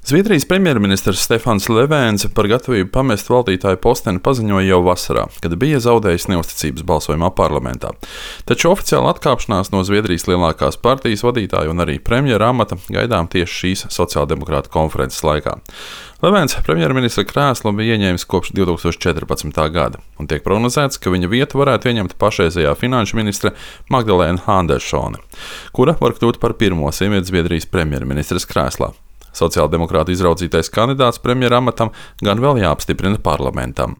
Zviedrijas premjerministrs Stefans Löfvens par gatavību pamest valdītāju posteni paziņoja jau vasarā, kad bija zaudējis neusticības balsojumā parlamentā. Taču oficiāla atkāpšanās no Zviedrijas lielākās partijas vadītāja un arī premjera amata gaidām tieši šīs sociāldemokrātu konferences laikā. Löfvens premjerministra krēslu bija ieņēmis kopš 2014. gada, un tiek prognozēts, ka viņa vietu varētu ieņemt pašreizējā finanšu ministre Magdalēna Andersone, kura var kļūt par pirmo sievieti Zviedrijas premjerministres krēslā. Sociāldemokrātu izraudzītais kandidāts premjera amatam gan vēl jāapstiprina parlamentam.